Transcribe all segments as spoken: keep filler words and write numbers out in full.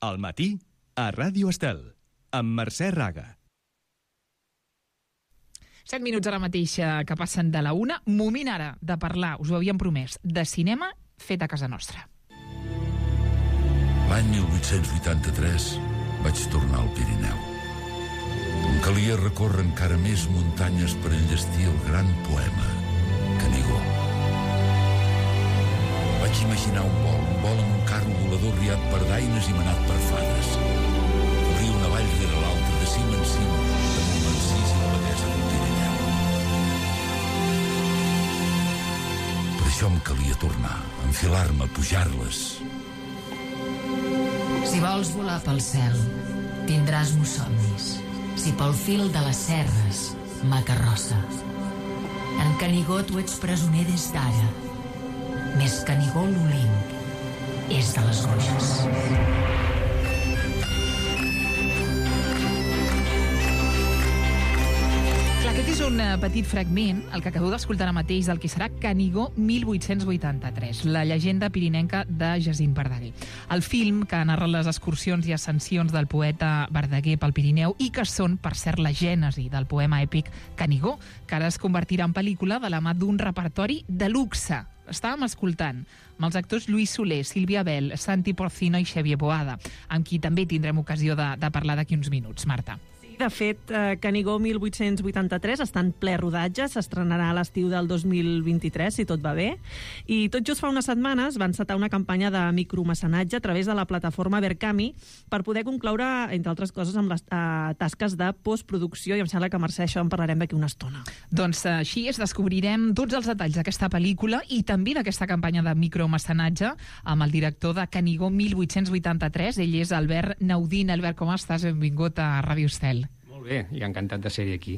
Al matí, a Ràdio Estel, amb Mercè Raga. Set minuts ara mateix que passen de la una. Moment ara de parlar, us ho havíem promès, de cinema fet a casa nostra. L'any mil vuit-cents vuitanta-tres vaig tornar al Pirineu. Em calia recórrer encara més muntanyes per enllestir el gran poema Canigó. Vaig imaginar un vol, un vol amb un carro volador riat per daines i manat per fades. Obrir una vall rere l'altra, de cim en cim, damunt l'encís i la batesa del Pirineu. Per això em calia tornar, enfilar-me, pujar-les. Si vols volar pel cel, tindràs mussomnis. Si pel fil de les serres, macarrossa. En Canigó tu ets presoner des d'ara. Més Canigó l'Olimp és de les Goges. Aquest és un petit fragment, el que acabeu d'escoltar ara mateix, del que serà Canigó mil vuit-cents vuitanta-tres, la llegenda pirinenca de Jacint Verdaguer. El film que narra les excursions i ascensions del poeta Verdaguer pel Pirineu i que són, per cert, la gènesi del poema èpic Canigó, que ara es convertirà en pel·lícula de la mà d'un repertori de luxe. Estàvem escoltant amb els actors Lluís Soler, Sílvia Bel, Santi Porcino i Xavier Boada, amb qui també tindrem ocasió de, de parlar d'aquí uns minuts. Marta. De fet, eh, Canigó mil vuit-cents vuitanta-tres està en ple rodatge, s'estrenarà a l'estiu del dos mil vint-i-tres, si tot va bé, i tot just fa unes setmanes van encetar una campanya de micromecenatge a través de la plataforma Verkami per poder concloure, entre altres coses, amb les eh, tasques de postproducció, i em sembla que, Mercè, això en parlarem d'aquí una estona. Doncs així és, descobrirem tots els detalls d'aquesta pel·lícula i també d'aquesta campanya de micromecenatge amb el director de Canigó mil vuit-cents vuitanta-tres. Ell és Albert Naudín. Albert, com estàs? Benvingut a Ràdio Estel. Molt bé, i encantat de ser-hi aquí.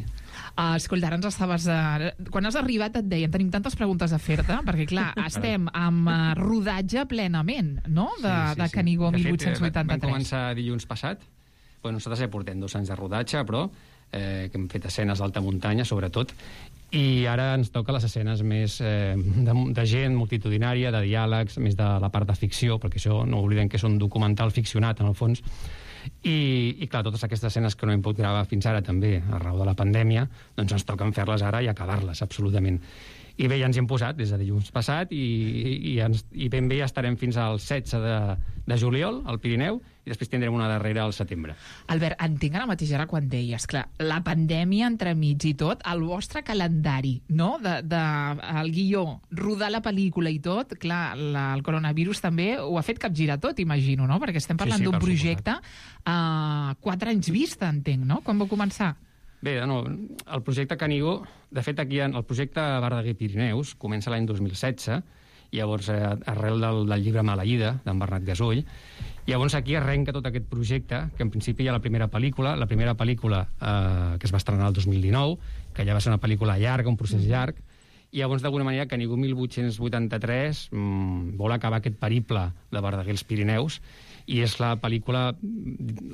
Uh, escolta, ara ens estaves... Uh, quan has arribat et deien, tenim tantes preguntes a fer-te, perquè clar, estem amb uh, rodatge plenament, no?, de, sí, sí, de Canigó sí. mil vuit-cents vuitanta-tres. De fet, vam començar dilluns passat. Bueno, nosaltres ja portem dos anys de rodatge, però eh, que hem fet escenes d'alta muntanya, sobretot, i ara ens toca les escenes més eh, de, de gent multitudinària, de diàlegs, més de la part de ficció, perquè això no oblidem que és un documental ficcionat, en el fons. I, i clar, totes aquestes escenes que no hem pogut gravar fins ara també, a raó de la pandèmia, doncs ens toquen fer-les ara i acabar-les, absolutament. I bé, ja ens hi hem posat des de dilluns passat i, i, ens, i ben bé ja estarem fins al setze de, de juliol al Pirineu i després tindrem una darrera al setembre. Albert, entenc ara mateix ara quan deies, clar, la pandèmia entremig i tot, el vostre calendari, no?, de, de, el guió, rodar la pel·lícula i tot, clar, la, el coronavirus també ho ha fet capgirar tot, imagino, no?, perquè estem parlant sí, sí, d'un projecte a uh, quatre anys vista, entenc, no?, quan vau començar? Bé, no, el projecte Canigó, de fet, aquí el projecte Verdaguer Pirineus comença l'any dos mil setze, llavors eh, arrel del, del llibre Maleïda, d'en Bernat Gasoll. Llavors aquí arrenca tot aquest projecte, que en principi hi ha la primera pel·lícula, la primera pel·lícula eh, que es va estrenar el dos mil dinou, que ja va ser una pel·lícula llarga, un procés llarg, i llavors d'alguna manera Canigó mil vuit-cents vuitanta-tres mmm, vol acabar aquest periple de Verdaguer als Pirineus, i és la pel·lícula,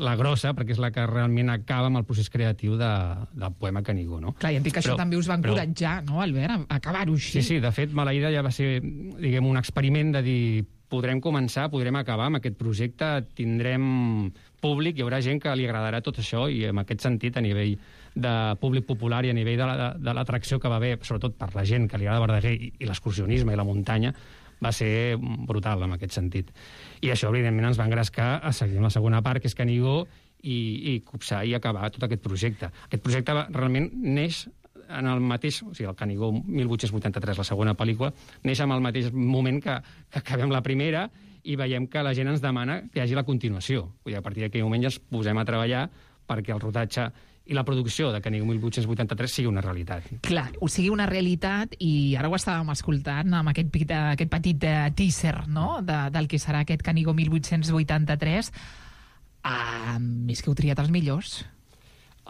la grossa, perquè és la que realment acaba amb el procés creatiu de, del poema Canigó, no? Clar, i entenc que però, això també us va encoratjar, però... no, Albert, a acabar-ho així? Sí, sí, de fet, Maleïda ja va ser, diguem, un experiment de dir, podrem començar, podrem acabar amb aquest projecte, tindrem públic, hi haurà gent que li agradarà tot això, i en aquest sentit, a nivell de públic popular i a nivell de, la, de l'atracció que va haver, sobretot per la gent que li agrada Verdaguer i, i l'excursionisme i la muntanya, va ser brutal en aquest sentit. I això, evidentment, ens va engrescar a seguir amb la segona part, que és Canigó, i, i copsar i acabar tot aquest projecte. Aquest projecte realment neix en el mateix... O sigui, el Canigó mil vuit-cents vuitanta-tres, la segona pel·lícula, neix en el mateix moment que, que acabem la primera i veiem que la gent ens demana que hi hagi la continuació. Vull dir, a partir d'aquell moment ja ens posem a treballar perquè el rodatge i la producció de Canigó mil vuit-cents vuitanta-tres sigui una realitat. Clar, ho sigui una realitat, i ara ho estàvem escoltant amb aquest, aquest petit teaser, no?, de, del que serà aquest Canigó mil vuit-cents vuitanta-tres. Ah, més que heu triat els millors.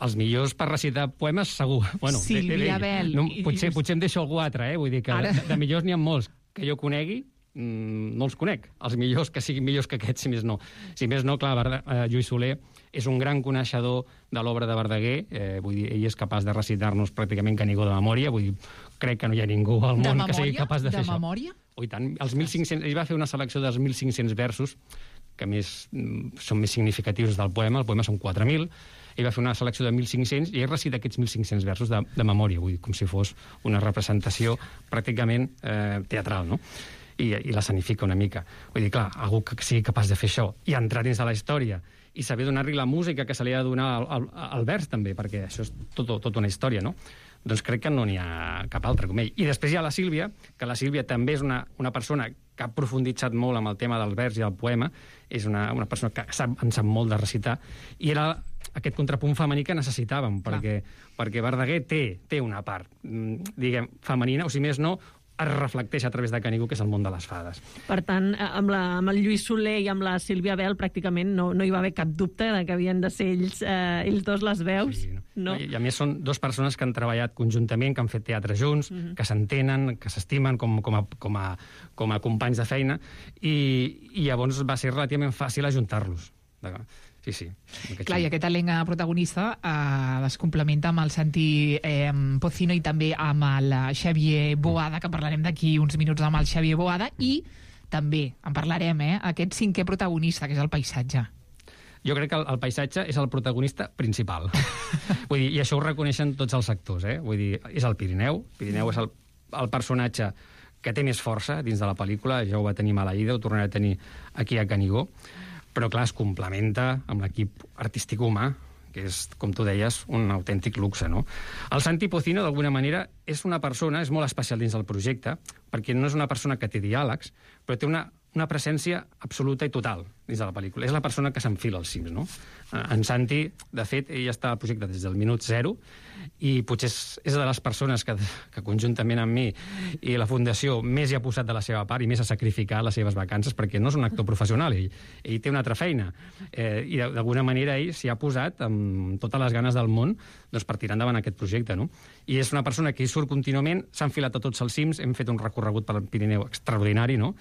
Els millors per recitar poemes, segur. Bueno, Sílvia Bel. No, potser, potser em deixo algú altre, eh? Vull dir que ara... de, de millors n'hi ha molts que jo conegui, mmm, no els conec. Els millors, que siguin millors que aquests, si més no. Si més no, clar, Verda, eh, Lluís Soler és un gran coneixedor de l'obra de Verdaguer, eh, vull dir, ell és capaç de recitar-nos pràcticament Canigó de memòria, vull dir, crec que no hi ha ningú al món que sigui capaç de, de fer memòria? això. Oh, i tant, els mil cinc-cents, ell va fer una selecció dels mil cinc-cents versos que més, són més significatius del poema. El poema són quatre mil. Ell va fer una selecció de mil cinc-cents i ell recita aquests mil cinc-cents versos de, de memòria, vull dir, com si fos una representació pràcticament eh, teatral, no? I, i l'escenifica una mica. Vull dir, clar, algú que sigui capaç de fer això i entrar dins de la història i saber donar-li la música que se li ha de donar al, al, al vers, també, perquè això és tot, tot una història, no? Doncs crec que no n'hi ha cap altre com ell. I després hi ha la Sílvia, que la Sílvia també és una, una persona que ha profunditzat molt amb el tema del vers i el poema, és una, una persona que sap, en sap molt de recitar, i era aquest contrapunt femení que necessitàvem, perquè, perquè Verdaguer té, té una part, diguem, femenina, o si més no, es reflecteix a través de Canigó, que és el món de les fades. Per tant, amb, la, amb el Lluís Soler i amb la Sílvia Bel pràcticament no, no hi va haver cap dubte de que havien de ser ells, eh, ells dos les veus. Sí, no? I, I a més són dues persones que han treballat conjuntament, que han fet teatre junts, uh-huh. que s'entenen, que s'estimen com, com, a, com, a, com a companys de feina, i, i llavors va ser relativament fàcil ajuntar-los. Sí, sí. Clar, i aquest elenc protagonista eh, es complementa amb el Santi eh, Pocino i també amb el Xavier Boada, que parlarem d'aquí uns minuts amb el Xavier Boada, i també en parlarem, eh, aquest cinquè protagonista, que és el paisatge. Jo crec que el, el paisatge és el protagonista principal. Vull dir, i això ho reconeixen tots els actors, eh? Vull dir, és el Pirineu. Pirineu és el, el personatge que té més força dins de la pel·lícula, ja ho va tenir Maleïda, ho tornarà a tenir aquí a Canigó, però clar, es complementa amb l'equip artístic humà, que és, com tu deies, un autèntic luxe, no? El Santi Pocino, d'alguna manera, és una persona, és molt especial dins del projecte, perquè no és una persona que té diàlegs, però té una, una presència absoluta i total dins de la pel·lícula. És la persona que s'enfila als cims, no? En Santi, de fet, ell està al projecte des del minut zero, i potser és, és de les persones que, que conjuntament amb mi i la Fundació més hi ha posat de la seva part i més ha sacrificat les seves vacances, perquè no és un actor professional, ell, ell té una altra feina, eh, i d'alguna manera ell s'hi ha posat amb totes les ganes del món, doncs, per tirar endavant aquest projecte, no? I és una persona que hi surt contínuament, s'ha enfilat a tots els cims, hem fet un recorregut pel Pirineu extraordinari, no?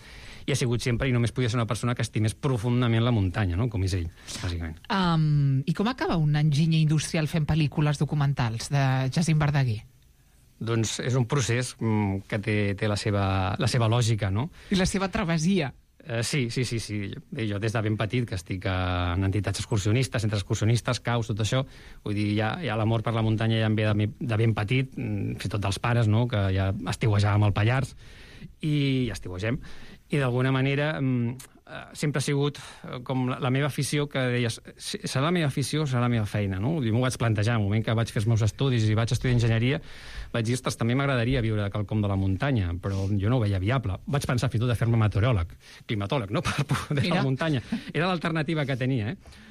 I ha sigut sempre, i només podia ser una persona que estimés profundament la muntanya, no? Com és ell, bàsicament. Um, I com acaba un enginyer industrial fent pel·lícules documentals de Jacint Verdaguer? Doncs és un procés mm, que té, té la, seva, la seva lògica, no? I la seva travessia. Uh, sí, sí, sí, sí. Jo des de ben petit, que estic en entitats excursionistes, centres excursionistes, caus, tot això, vull dir, ja, ja l'amor per la muntanya ja em ve de, de ben petit, fins i tot dels pares, no?, que ja estiuejàvem al Pallars, i ja estiuegem, i d'alguna manera sempre ha sigut com la, la meva afició, que deies, serà la meva afició o serà la meva feina, no? I m'ho vaig plantejar, en el moment que vaig fer els meus estudis i vaig estudiar enginyeria, vaig dir, ostres, també m'agradaria viure de quelcom de la muntanya, però jo no ho veia viable. Vaig pensar fins i tot de fer-me meteoròleg, climatòleg, no?, per poder Mira. la muntanya. Era l'alternativa que tenia, eh?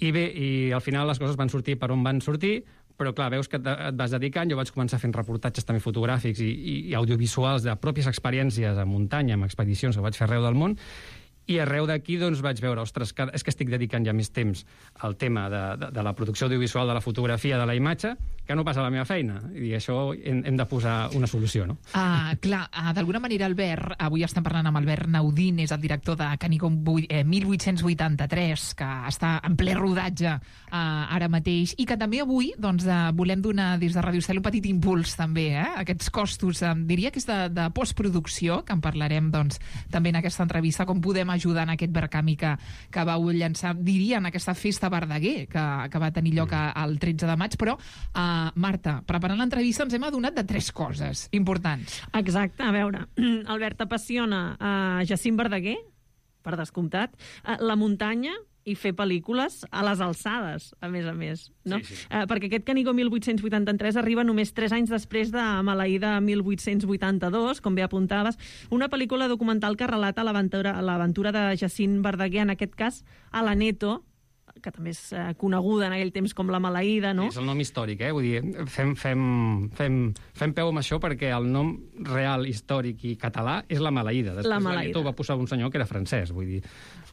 I bé, i al final les coses van sortir per on van sortir, però clar, veus que et, et vas dedicant, jo vaig començar fent reportatges també fotogràfics i, i, i audiovisuals de pròpies experiències a muntanya, amb expedicions que vaig fer arreu del món, i arreu d'aquí doncs, vaig veure, ostres, que, és que estic dedicant ja més temps al tema de, de, de la producció audiovisual, de la fotografia, de la imatge, que no passa la meva feina. I això hem, hem de posar una solució, no? Ah, clar, ah, d'alguna manera, Albert, avui estem parlant amb Albert Naudín, és el director de Canigó eh, mil vuit-cents vuitanta-tres, que està en ple rodatge eh, ara mateix, i que també avui doncs, eh, volem donar des de Ràdio Estel un petit impuls també, eh? Aquests costos, eh, diria que és de, de postproducció, que en parlarem doncs, també en aquesta entrevista, com podem ajudar en aquest Verkami que, que vau llançar, diria, en aquesta festa Verdaguer, que, que va tenir lloc el tretze de maig, però eh, Marta, preparant l'entrevista ens hem adonat de tres coses importants. Exacte, a veure, Albert, apassiona uh, Jacint Verdaguer, per descomptat, uh, la muntanya i fer pel·lícules a les alçades, a més a més, no? Sí, sí. Uh, perquè aquest Canigó mil vuit-cents vuitanta-tres arriba només tres anys després de Maleïda mil vuit-cents vuitanta-dos, com bé apuntaves, una pel·lícula documental que relata l'aventura de Jacint Verdaguer, en aquest cas a l'Aneto, que també és eh, coneguda en aquell temps com la Maleïda, no? Sí, és el nom històric, eh? Vull dir, fem, fem, fem, fem peu amb això perquè el nom real, històric i català és la Maleïda. Després la Maleïda. l'Aneto va posar un senyor que era francès, vull dir...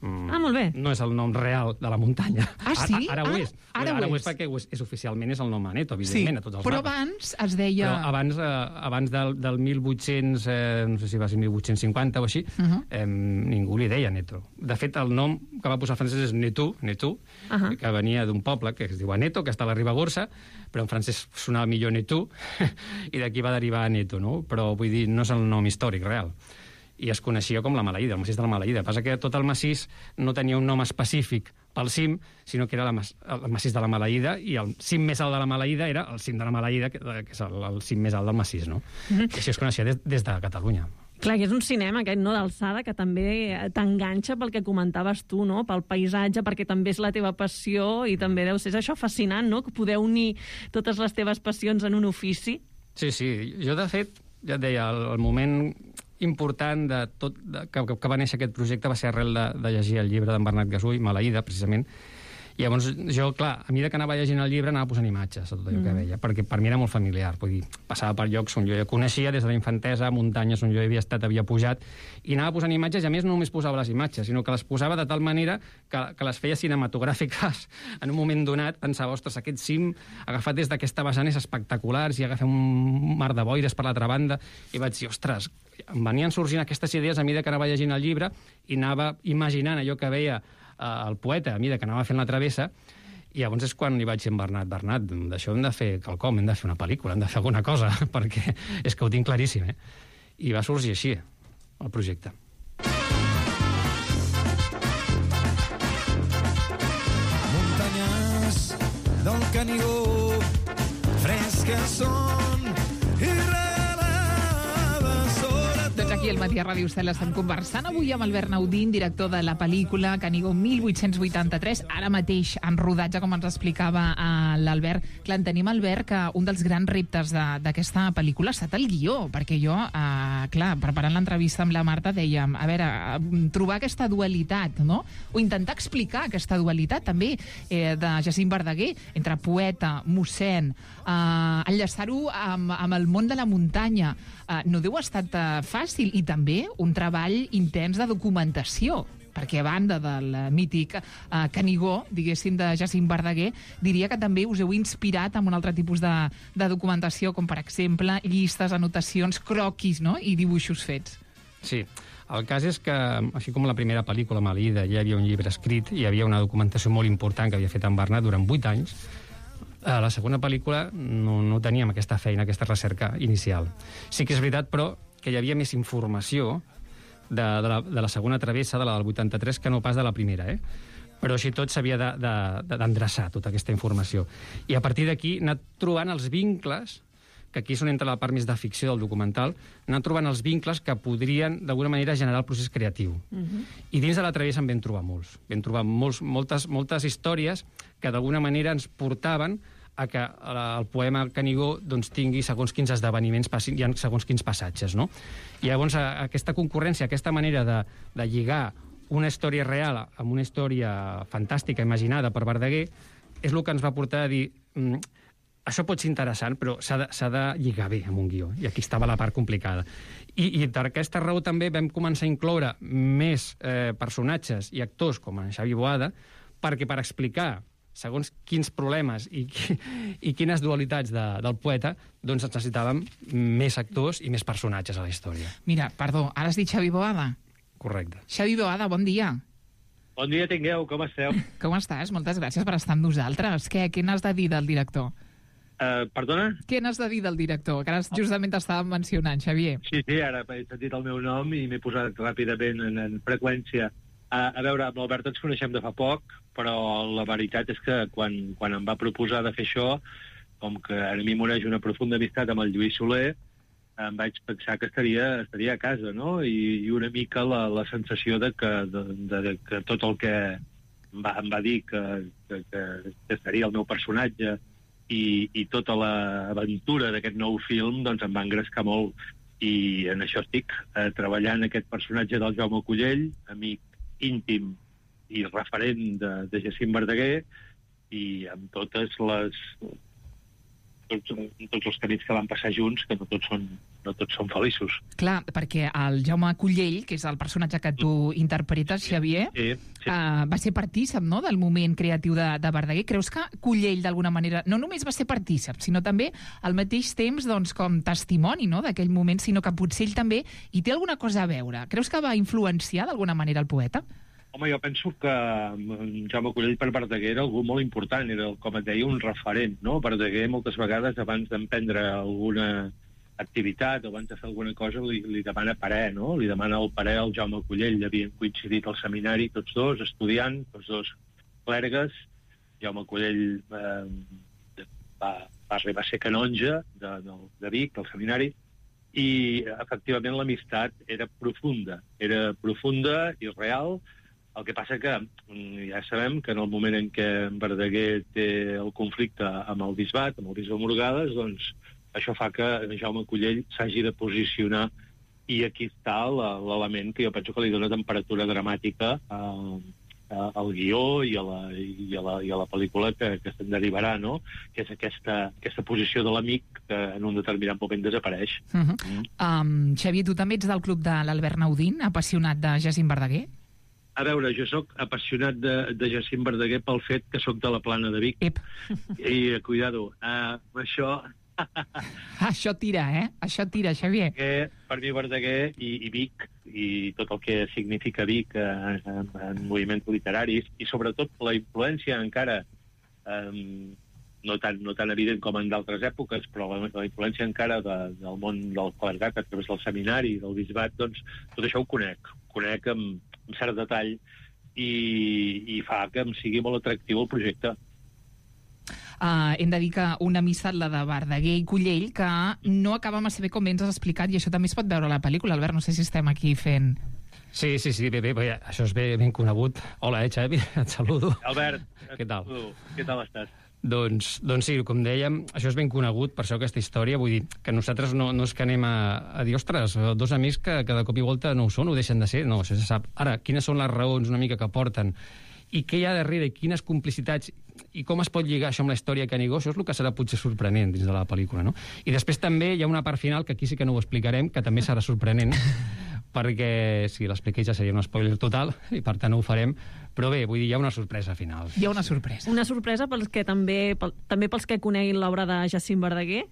Mm, ah, molt bé. No és el nom real de la muntanya. Ah, sí? Ara, ara, ara ho és. Ara, ara, ara ho és. és perquè és, és oficialment és el nom Aneto, evidentment, sí, a tots els però mapes. abans es deia... Però abans, eh, abans del, del mil vuit-cents, eh, no sé si va ser mil vuit-cents cinquanta o així, uh -huh. eh, ningú li deia Aneto. De fet, el nom que va posar el francès és Netú, Netú, uh -huh. que venia d'un poble que es diu Aneto, que està a la Ribagorça, però en francès sonava millor Netú, i d'aquí va derivar Aneto, no? Però vull dir, no és el nom històric real. i es coneixia com la Maleïda, el massís de la Maleïda. El que passa que tot el massís no tenia un nom específic pel cim, sinó que era la, el massís de la Maleïda, i el cim més alt de la Maleïda era el cim de la Maleïda, que, que és el, el cim més alt del massís, no? Mm-hmm. I així es coneixia des, des de Catalunya. Clar, que és un cinema aquest, no?, d'alçada, que també t'enganxa pel que comentaves tu, no?, pel paisatge, perquè també és la teva passió, i també deu ser això fascinant, no?, que poder unir totes les teves passions en un ofici. Sí, sí. Jo, de fet, ja et deia, el, el moment important de tot de, que, que va néixer aquest projecte va ser arrel de, de llegir el llibre d'en Bernat Gasull, Maleïda, precisament. I llavors jo, clar, a mesura que anava llegint el llibre anava posant imatges a tot allò mm. que veia, perquè per mi era molt familiar. Vull dir, passava per llocs on jo ja coneixia des de la infantesa, muntanyes on jo havia estat, havia pujat, i anava posant imatges, i a més no només posava les imatges, sinó que les posava de tal manera que, que les feia cinematogràfiques en un moment donat. Pensava, ostres, aquest cim agafat des d'aquesta vessant és espectacular, si agafem un mar de boires per l'altra banda, i vaig dir, ostres, em venien sorgint aquestes idees a mesura que anava llegint el llibre i anava imaginant allò que veia el poeta, a mesura que anava fent la travessa, i llavors és quan li vaig dir a Bernat, Bernat, d'això hem de fer quelcom, hem de fer una pel·lícula, hem de fer alguna cosa, perquè és que ho tinc claríssim, eh? I va sorgir així, el projecte. Muntanyes del Canigó, fresques són i doncs aquí al Matí a Ràdio Estel estem conversant avui amb Albert Naudín, director de la pel·lícula Canigó mil vuit-cents vuitanta-tres, ara mateix en rodatge, com ens explicava uh, l'Albert. Clar, entenem, Albert, que un dels grans reptes d'aquesta pel·lícula ha estat el guió, perquè jo, uh, clar, preparant l'entrevista amb la Marta, dèiem, a veure, uh, trobar aquesta dualitat, no? O intentar explicar aquesta dualitat, també, eh, de Jacint Verdaguer, entre poeta, mossèn, uh, enllaçar-ho amb, amb el món de la muntanya. Uh, no deu ha estat uh, fàcil, i també un treball intens de documentació, perquè a banda del mític uh, Canigó, diguéssim, de Jacint Verdaguer, diria que també us heu inspirat en un altre tipus de, de documentació, com per exemple llistes, anotacions, croquis, no?, i dibuixos fets. Sí. El cas és que, així com la primera pel·lícula, Maleïda, ja hi havia un llibre escrit, hi havia una documentació molt important que havia fet en Bernat durant vuit anys. A la segona pel·lícula no, no teníem aquesta feina, aquesta recerca inicial. Sí que és veritat, però, que hi havia més informació de, de, la, de la segona travessa, de la del vuitanta-tres, que no pas de la primera, eh? Però així tot s'havia d'endreçar, tota aquesta informació. I a partir d'aquí anar trobant els vincles, que aquí és on entra la part més de ficció del documental, anar trobant els vincles que podrien, d'alguna manera, generar el procés creatiu. Uh-huh. I dins de la travessa en vam trobar molts. Vam trobar molts, moltes, moltes històries que d'alguna manera ens portaven a que el poema Canigó doncs, tingui segons quins esdeveniments, hi ha segons quins passatges, no? I llavors aquesta concurrència, aquesta manera de, de lligar una història real amb una història fantàstica, imaginada per Verdaguer, és el que ens va portar a dir mm, això pot ser interessant, però s'ha de, s'ha de lligar bé amb un guió, i aquí estava la part complicada. I, i per aquesta raó també vam començar a incloure més eh, personatges i actors, com en Xavi Boada, perquè per explicar segons quins problemes i, i quines dualitats de, del poeta, doncs necessitàvem més actors i més personatges a la història. Mira, perdó, ara has dit Xavi Boada? Correcte. Xavi Boada, bon dia. Bon dia tingueu, com esteu? Com estàs? Moltes gràcies per estar amb nosaltres. Què, què n'has de dir del director? Uh, perdona? Què n'has de dir del director? Que ara justament t'estàvem mencionant, Xavier. Sí, sí, ara he sentit el meu nom i m'he posat ràpidament en, en freqüència. Uh, a veure, amb l'Albert ens coneixem de fa poc, però la veritat és que quan, quan em va proposar de fer això, com que a mi m'uneix una profunda amistat amb el Lluís Soler, em vaig pensar que estaria, estaria a casa, no? I, i una mica la, la sensació de que, de, de, de que tot el que em va, em va dir que, que, que seria el meu personatge i, i tota l'aventura d'aquest nou film doncs em va engrescar molt. I en això estic, eh, treballant aquest personatge del Jaume Collell, amic íntim i referent de, de Jacint Verdaguer, i amb totes les tots, tots els camins que van passar junts, que no tots són, no tots són feliços. Clar, perquè el Jaume Collell, que és el personatge que tu interpretes, Xavier, sí, sí. Uh, va ser partícip, no?, del moment creatiu de, de Verdaguer. Creus que Collell, d'alguna manera, no només va ser partícip, sinó també al mateix temps doncs, com testimoni, no?, d'aquell moment, sinó que potser ell també hi té alguna cosa a veure? Creus que va influenciar d'alguna manera el poeta? Home, jo penso que Jaume Collell per Verdaguer era algú molt important, era, com et deia, un referent, no? Verdaguer moltes vegades, abans d'emprendre alguna, activitat o abans de fer alguna cosa li, li demana parer, no? Li demana el parer al Jaume Collell. Havien coincidit al seminari tots dos, estudiant, tots dos clergues. Jaume Collell eh, va, va arribar a ser canonge de, de, de Vic, del seminari, i efectivament l'amistat era profunda. Era profunda i real. El que passa que ja sabem que en el moment en què en Verdaguer té el conflicte amb el bisbat, amb el bisbe Morgades, doncs això fa que Jaume Collell s'hagi de posicionar, i aquí està l'element que jo penso que li dona temperatura dramàtica a, a, al guió i a la, i a la, i a la pel·lícula que, que se'n derivarà, no? Que és aquesta, aquesta posició de l'amic que en un determinat moment desapareix. Uh -huh. mm. um, Xavier, tu també ets del club de l'Albert Naudín, apassionat de Jacint Verdaguer? A veure, jo sóc apassionat de, de Jacint Verdaguer pel fet que sóc de la Plana de Vic. Ep. I, cuidado, uh, això... Això tira, eh? Això tira, Xavier. Que per mi Verdaguer i, i Vic, i tot el que significa Vic en, en, en moviments literaris, i sobretot la influència encara, um, no, tan, no tan evident com en d'altres èpoques, però la, la influència encara de, del món del clergat a través del seminari, del bisbat, doncs tot això ho conec. Conec amb, amb cert detall i, i fa que em sigui molt atractiu el projecte. Uh, hem de dir que una missa, la de Verdaguer i Collell, que no acaba massa bé com bé ens has explicat, i això també es pot veure a la pel·lícula. Albert, no sé si estem aquí fent... Sí, sí, sí, bé, bé, bé, això és ben, ben conegut. Hola, eh, Xavi, et saludo. Albert, què tal? Què tal estàs? Doncs, doncs sí, com dèiem, això és ben conegut, per això aquesta història, vull dir, que nosaltres no, no és que anem a, a dir, ostres, dos amics que cada cop i volta no ho són, ho deixen de ser, no, això se sap. Ara, quines són les raons una mica que porten, i què hi ha darrere, i quines complicitats, i com es pot lligar això amb la història de Canigó, això és el que serà potser sorprenent dins de la pel·lícula, no? I després també hi ha una part final, que aquí sí que no ho explicarem, que també serà sorprenent, perquè si l'expliqués ja seria un spoiler total, i per tant no ho farem, però bé, vull dir, hi ha una sorpresa final. Hi ha una sorpresa. Una sorpresa pels que també, pel, també pels que coneguin l'obra de Jacint Verdaguer?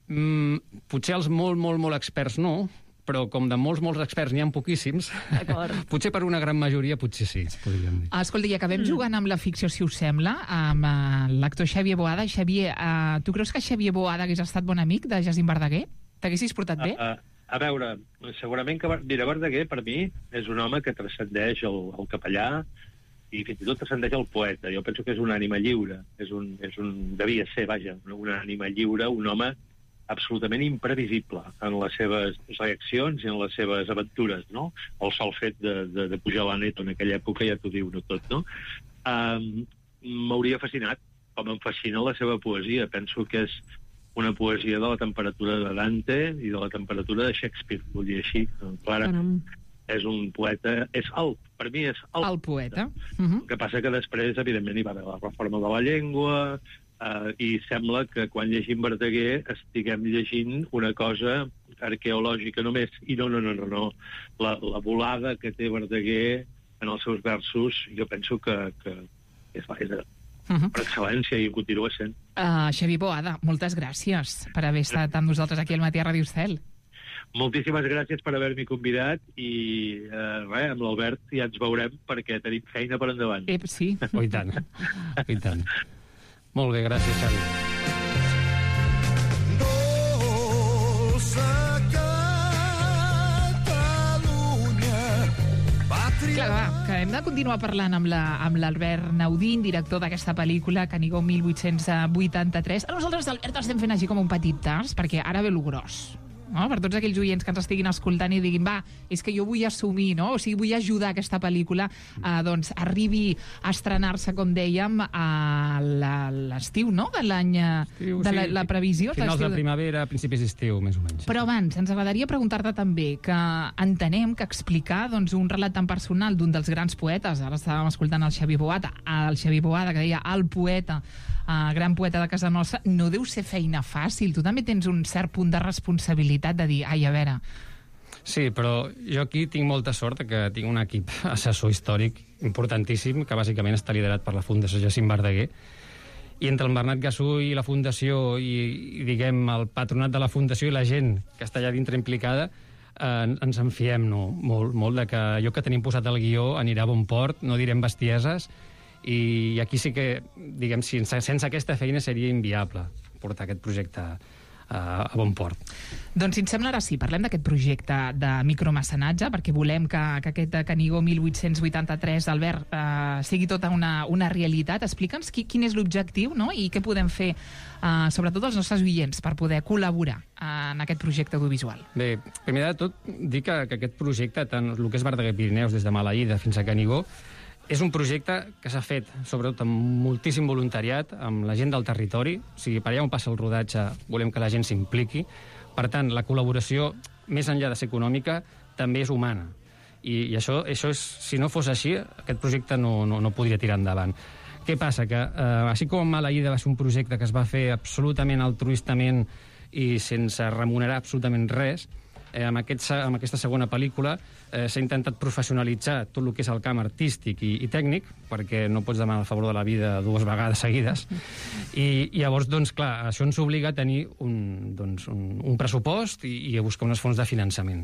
Mm, potser els molt, molt, molt experts no, però com de molts, molts experts n'hi ha poquíssims, potser per una gran majoria, potser sí, podríem dir. Escolta, i acabem mm. jugant amb la ficció, si us sembla, amb uh, l'actor Xavier Boada. Xavier, uh, tu creus que Xavier Boada hagués estat bon amic de Jacint Verdaguer? T'haguessis portat bé? Uh, uh, a veure, segurament que mira, Verdaguer, per mi, és un home que transcendeix el, el capellà i fins i tot transcendeix el poeta. Jo penso que és una ànima lliure. És un, és un, devia ser, vaja, una ànima lliure, un home absolutament imprevisible en les seves reaccions i en les seves aventures, no? El sol fet de, de, de pujar a la net en aquella època ja t'ho diu no tot, no? Um, M'hauria fascinat, com em fascina la seva poesia. Penso que és una poesia de la temperatura de Dante i de la temperatura de Shakespeare, vull dir així. Clara, és un poeta, és alt, per mi és alt. El poeta. Uh -huh. El que passa que després, evidentment, hi va haver la reforma de la llengua, Uh, i sembla que quan llegim Verdaguer estiguem llegint una cosa arqueològica només, i no, no, no, no, no. La, la volada que té Verdaguer en els seus versos, jo penso que, que és, és uh -huh. per excel·lència i ho continua sent. Uh, Xavier Boada, moltes gràcies per haver estat amb nosaltres aquí al Matí a Ràdio Estel. Moltíssimes gràcies per haver-m'hi convidat i eh, res, amb l'Albert ja ens veurem perquè tenim feina per endavant. Ep, sí. Oh, i tant, oh, i tant. Molt bé, gràcies, Xavi. Clar, va, que hem de continuar parlant amb l'Albert la, Naudín, director d'aquesta pel·lícula, Canigó mil vuit-cents vuitanta-tres. A nosaltres, Albert, estem fent així com un petit tas, perquè ara ve lo gros. No? Per tots aquells oients que ens estiguin escoltant i diguin, va, és que jo vull assumir, no? O sigui, vull ajudar aquesta pel·lícula a, doncs, arribi a estrenar-se, com dèiem, a l'estiu, no? De l'any, de la, la previsió. Finals de primavera, principis d'estiu, més o menys. Però abans, ens agradaria preguntar-te també que entenem que explicar doncs, un relat tan personal d'un dels grans poetes, ara estàvem escoltant el Xavier Boada, el Xavier Boada, que deia el poeta, Uh, gran poeta de casa nostra, no deu ser feina fàcil. Tu també tens un cert punt de responsabilitat de dir, ai, a veure... Sí, però jo aquí tinc molta sort que tinc un equip assessor històric importantíssim, que bàsicament està liderat per la Fundació Jacint Verdaguer, i entre el Bernat Gassú i la Fundació i, i diguem, el patronat de la Fundació i la gent que està allà dintre implicada, eh, ens en fiem no? molt, molt de que allò que tenim posat al guió anirà a bon port, no direm bestieses, i aquí sí que, diguem, sense aquesta feina seria inviable portar aquest projecte a, a bon port. Doncs si ens sembla, ara sí, parlem d'aquest projecte de micromecenatge, perquè volem que, que aquest Canigó mil vuit-cents vuitanta-tres, Albert, eh, sigui tota una, una realitat. Explica'ns qui, quin és l'objectiu, no?, i què podem fer, eh, sobretot els nostres oients, per poder col·laborar en aquest projecte audiovisual. Bé, primer de tot, dir que, que aquest projecte, tant el que és Verdaguer Pirineus, des de Maleïda fins a Canigó, és un projecte que s'ha fet, sobretot amb moltíssim voluntariat, amb la gent del territori. O sigui, per allà on passa el rodatge, volem que la gent s'impliqui. Per tant, la col·laboració, més enllà de ser econòmica, també és humana. I, i això, això és, si no fos així, aquest projecte no, no, no podria tirar endavant. Què passa? Que, eh, així com Maleïda va ser un projecte que es va fer absolutament altruistament i sense remunerar absolutament res, Eh, amb, aquest, amb aquesta segona pel·lícula eh, s'ha intentat professionalitzar tot el que és el camp artístic i, i tècnic, perquè no pots demanar el favor de la vida dues vegades seguides. I, i llavors, doncs, clar, això ens obliga a tenir un, doncs, un, un pressupost i, i a buscar unes fonts de finançament.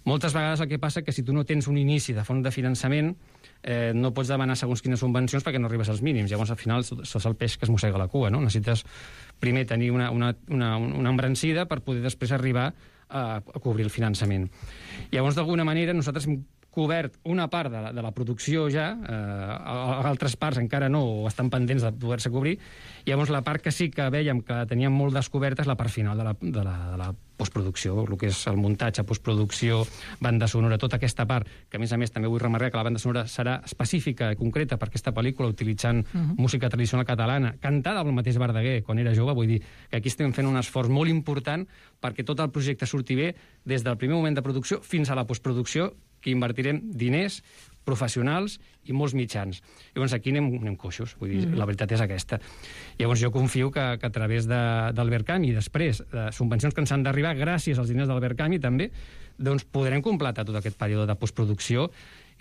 Moltes vegades el que passa és que si tu no tens un inici de font de finançament, eh, no pots demanar segons quines subvencions perquè no arribes als mínims. Llavors, al final, sos el peix que es mossega la cua, no? Necessites primer tenir una, una, una, una embrancida per poder després arribar a, a cobrir el finançament. Llavors, d'alguna manera, nosaltres hem cobert una part de la, de la producció ja, eh, altres parts encara no, o estan pendents de poder-se cobrir. Llavors, la part que sí que vèiem que teníem molt descoberta és la part final de la, de la, de la postproducció, el que és el muntatge, postproducció, banda sonora, tota aquesta part, que a més a més també vull remarcar que la banda sonora serà específica i concreta per aquesta pel·lícula, utilitzant uh-huh. música tradicional catalana, cantada pel mateix Verdaguer quan era jove. Vull dir que aquí estem fent un esforç molt important perquè tot el projecte surti bé des del primer moment de producció fins a la postproducció, que invertirem diners, professionals i molts mitjans. Llavors aquí anem, anem coixos, vull dir, mm. la veritat és aquesta. Llavors jo confio que, que a través de, del Verkami i després de subvencions que ens han d'arribar gràcies als diners del Verkami també, doncs podrem completar tot aquest període de postproducció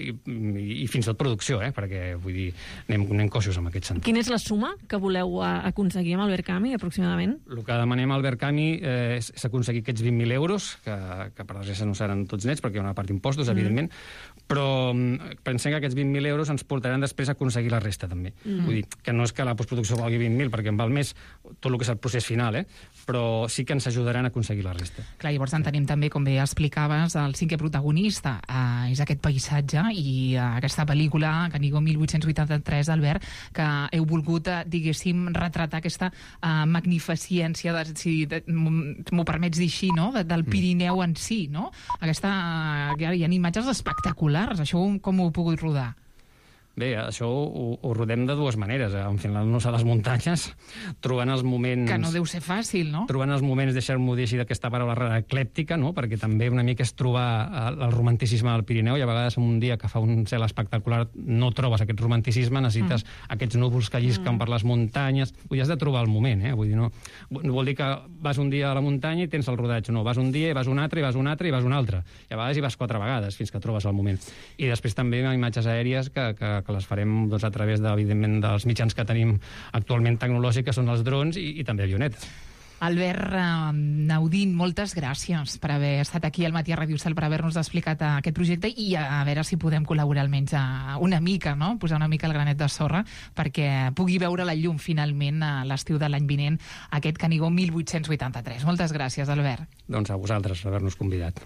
i, i, i fins i tot producció, eh? Perquè vull dir, anem, anem coixos en aquest sentit. Quina és la suma que voleu aconseguir amb el Verkami, aproximadament? El que demanem al Verkami eh, és, és aconseguir aquests vint mil euros, que, que per desgràcia no seran tots nets, perquè hi ha una part d'impostos, mm. evidentment, però pensem que aquests vint mil euros ens portaran després a aconseguir la resta, també. Mm. Vull dir, que no és que la postproducció valgui vint mil, perquè en val més tot el que és el procés final, eh? Però sí que ens ajudaran a aconseguir la resta. Clar, llavors entenem també, com bé explicaves, el cinquè protagonista eh, és aquest paisatge i eh, aquesta pel·lícula, Canigó mil vuit-cents vuitanta-tres, Albert, que heu volgut, eh, diguéssim, retratar aquesta eh, magnificència, de, si de, m'ho permets dir així, no?, de, del Pirineu en si, no? Aquesta, eh, hi ha imatges espectaculars. Això com ho heu pogut rodar? Bé, això ho, ho rodem de dues maneres, eh? Enfilant-nos a les muntanyes, trobant els moments... Que no deu ser fàcil, no? Trobant els moments, deixar-m'ho dir així, d'aquesta paraula rara, eclèptica, no? Perquè també una mica és trobar el, el romanticisme del Pirineu, i a vegades en un dia que fa un cel espectacular no trobes aquest romanticisme, necessites mm. aquests núvols que llisquen mm. per les muntanyes. Vull dir, has de trobar el moment, eh? Vull dir, no, no vol dir que vas un dia a la muntanya i tens el rodatge, no, vas un dia, i vas un altre, i vas un altre, i vas un altre. I a vegades hi vas quatre vegades, fins que trobes el moment. I després també imatges aèries que, que que les farem doncs, a través, de, evidentment, dels mitjans que tenim actualment tecnològics, que són els drons i, i també avionetes. Albert eh, Naudín, moltes gràcies per haver estat aquí al Matí a Ràdio Estel, per haver-nos explicat aquest projecte i a, a veure si podem col·laborar almenys a una mica, no? Posar una mica el granet de sorra perquè pugui veure la llum finalment a l'estiu de l'any vinent, aquest Canigó mil vuit-cents vuitanta-tres. Moltes gràcies, Albert. Doncs a vosaltres, per haver-nos convidat.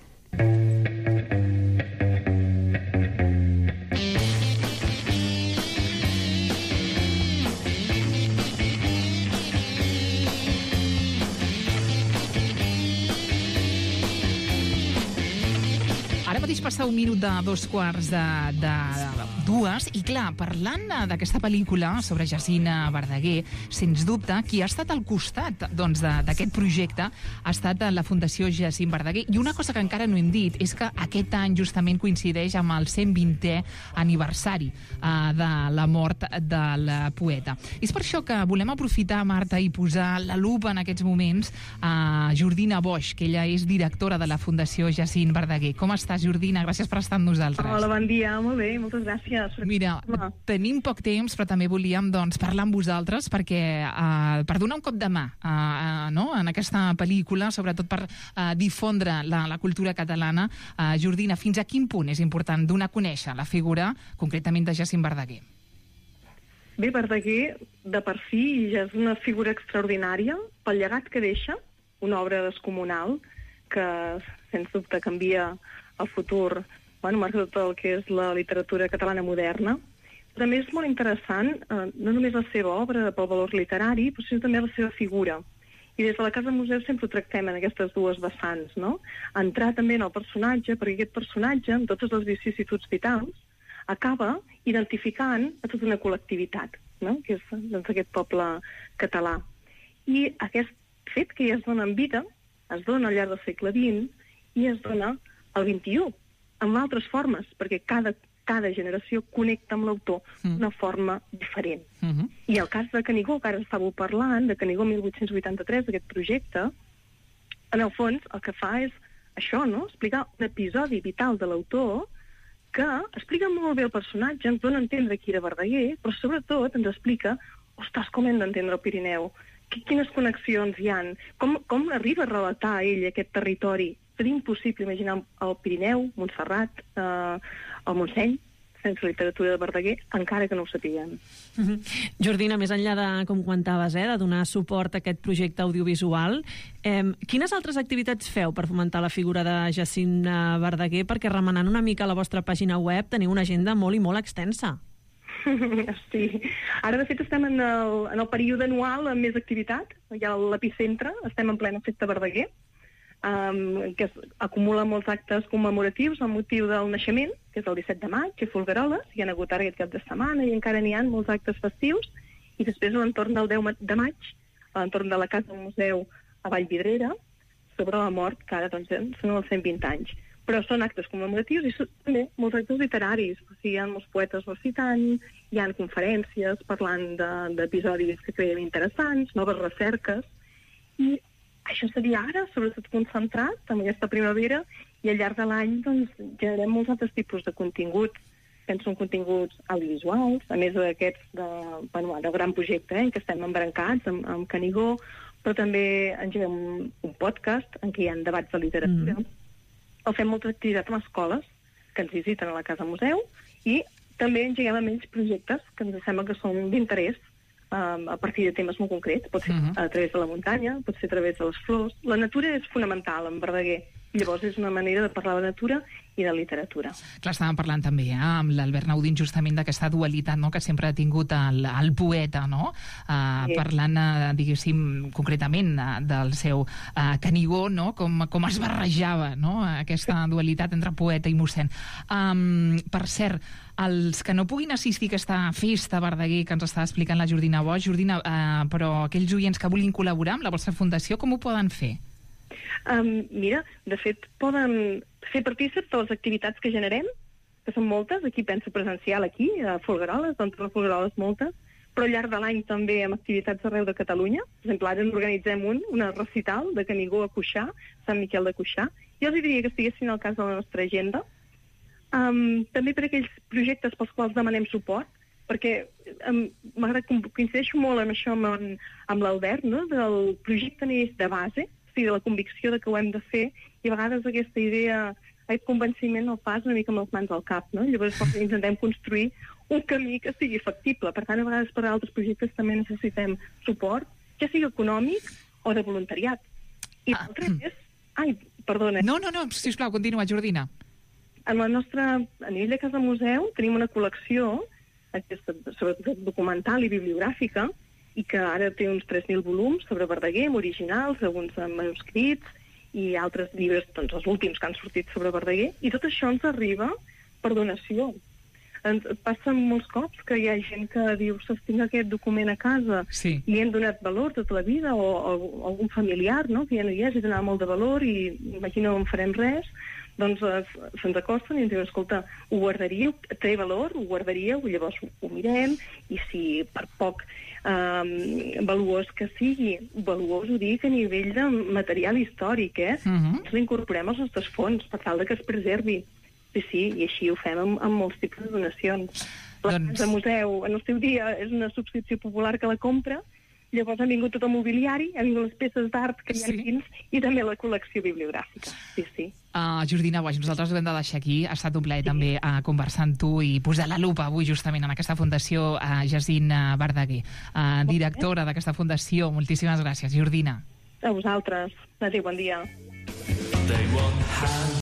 Ara mateix passa un minut de dos quarts de, de, de dues i, clar, parlant d'aquesta pel·lícula sobre Jacint Verdaguer, sens dubte, qui ha estat al costat doncs, d'aquest projecte ha estat la Fundació Jacint Verdaguer. I una cosa que encara no hem dit és que aquest any justament coincideix amb el cent vintè aniversari eh, de la mort del poeta. I és per això que volem aprofitar, Marta, i posar la lupa en aquests moments a Jordina Boix, que ella és directora de la Fundació Jacint Verdaguer. Com estàs, Jordina? Gràcies per estar amb nosaltres. Hola, bon dia. Molt bé, moltes gràcies. Mira, tenim poc temps, però també volíem doncs, parlar amb vosaltres perquè uh, per donar un cop de mà uh, uh, no? en aquesta pel·lícula, sobretot per uh, difondre la, la cultura catalana. Uh, Jordina, fins a quin punt és important donar a conèixer la figura, concretament, de Jacint Verdaguer? Bé, Verdaguer, de per si, ja és una figura extraordinària pel llegat que deixa, una obra descomunal que, sens dubte, canvia el futur, bueno, marca tot el que és la literatura catalana moderna. També és molt interessant, eh, no només la seva obra pel valor literari, però sinó també la seva figura. I des de la Casa Museu sempre ho tractem en aquestes dues vessants, no? Entrar també en el personatge, perquè aquest personatge, amb totes les vicissituds vitals, acaba identificant a tota una col·lectivitat, no? Que és doncs, aquest poble català. I aquest fet que ja es dona en vida, es dona al llarg del segle vint i es dona al vint-i-u, amb altres formes, perquè cada, cada generació connecta amb l'autor d'una mm. forma diferent. Mm-hmm. I el cas de Canigó, que ara estàveu parlant, de Canigó mil vuit-cents vuitanta-tres, d'aquest projecte, en el fons el que fa és això, no? Explicar un episodi vital de l'autor que explica molt bé el personatge, ens dona a entendre qui era Verdaguer, però sobretot ens explica, ostres, com hem d'entendre el Pirineu, quines connexions hi han, com, com arriba a relatar ell aquest territori. Seria impossible imaginar el Pirineu, Montserrat, eh, el Montseny, sense literatura de Verdaguer, encara que no ho sapiguem. Mm-hmm. Jordina, més enllà de, com comentaves, eh, de donar suport a aquest projecte audiovisual, eh, quines altres activitats feu per fomentar la figura de Jacint Verdaguer? Perquè remenant una mica a la vostra pàgina web teniu una agenda molt i molt extensa. Sí. Ara, de fet, estem en el, en el període anual amb més activitat. Hi ha l'epicentre, estem en plena festa Verdaguer, um, que es, acumula molts actes commemoratius amb motiu del naixement, que és el disset de maig, a Folgueroles, hi ha hagut ara aquest cap de setmana i encara n'hi ha molts actes festius, i després a l'entorn del deu de maig, a l'entorn de la Casa del Museu a Vallvidrera, sobre la mort, que ara doncs, són els cent vint anys. Però són actes commemoratius i són també molts actes literaris. O sigui, hi ha molts poetes recitant, hi ha conferències parlant d'episodis que creiem interessants, noves recerques, i això seria ara, sobretot concentrat en aquesta primavera, i al llarg de l'any doncs, generem molts altres tipus de continguts. Penso en continguts audiovisuals, a més d'aquests de, bueno, de gran projecte, eh, en què estem embrancats amb, amb Canigó, però també engeguem un podcast en què hi ha debats de literatura. Mm. O fem molta activitat amb escoles que ens visiten a la Casa Museu i també engeguem amb ells projectes que ens sembla que són d'interès um, a partir de temes molt concrets. Pot ser uh -huh. a través de la muntanya, pot ser a través de les flors. La natura és fonamental en Verdaguer. Llavors és una manera de parlar de natura i de literatura. Clar, estàvem parlant també eh, amb l'Albert Naudín justament d'aquesta dualitat, no?, que sempre ha tingut el, el poeta, no?, uh, sí. Parlant, uh, diguéssim, concretament uh, del seu uh, Canigó, no?, com, com es barrejava, no?, aquesta dualitat entre poeta i mossèn. Um, per cert, els que no puguin assistir a aquesta festa Verdaguer que ens està explicant la Jordina Boix, Jordina, uh, però aquells oients que vulguin col·laborar amb la vostra fundació, com ho poden fer? Um, mira, de fet, poden fer partícips de les activitats que generem, que són moltes, aquí penso presencial aquí, a Folgueroles, doncs a Folgueroles moltes, però al llarg de l'any també amb activitats arreu de Catalunya. Per exemple, ara n'organitzem un, una recital de Canigó a Cuixà, Sant Miquel de Cuixà. Jo els diria que estiguessin al cas de la nostra agenda. Um, també per aquells projectes pels quals demanem suport, perquè um, m'agrada que coincideixo molt amb això amb, amb l'Albert, no?, del projecte neix de base, de la convicció de que ho hem de fer, i a vegades aquesta idea, aquest convenciment el fas una mica amb les mans al cap, no? Llavors intentem construir un camí que sigui factible. Per tant, a vegades per a altres projectes també necessitem suport, ja sigui econòmic o de voluntariat. I ah. l'altre és... Ai, perdona. No, no, no, sisplau, continua, Jordina. En la nostra... A nivell de Casa Museu tenim una col·lecció, aquesta, sobretot documental i bibliogràfica, i que ara té uns tres mil volums sobre Verdaguer, originals, alguns manuscrits i altres llibres, doncs els últims que han sortit sobre Verdaguer, i tot això ens arriba per donació. Ens passa molts cops que hi ha gent que diu, ostres, tinc aquest document a casa, sí. i hem donat valor tota la vida, o, o algun familiar, no?, que ja no hi és, i donava molt de valor, i imagina no en farem res, doncs se'ns acosten i ens diuen, escolta, ho guardaríeu, té valor, ho guardaríeu, llavors ho, ho mirem, i si per poc eh, valuós que sigui, valuós ho dic a nivell de material històric, eh? Uh-huh. Ens l'incorporem als nostres fons per tal de que es preservi. Sí, sí, i així ho fem amb, amb molts tipus de donacions. La doncs... Casa Museu, en el seu dia, és una subscripció popular que la compra, llavors ha vingut tot el mobiliari, ha vingut les peces d'art que hi ha sí. dins, i també la col·lecció bibliogràfica. Sí, sí. Uh, Jordina Boix, nosaltres ho hem de deixar aquí. Ha estat un plaer sí. també uh, conversar amb tu i posar la lupa avui justament en aquesta fundació uh, Jacint uh, Verdaguer, uh, directora d'aquesta fundació. Moltíssimes gràcies, Jordina. A vosaltres. Adéu, bon dia.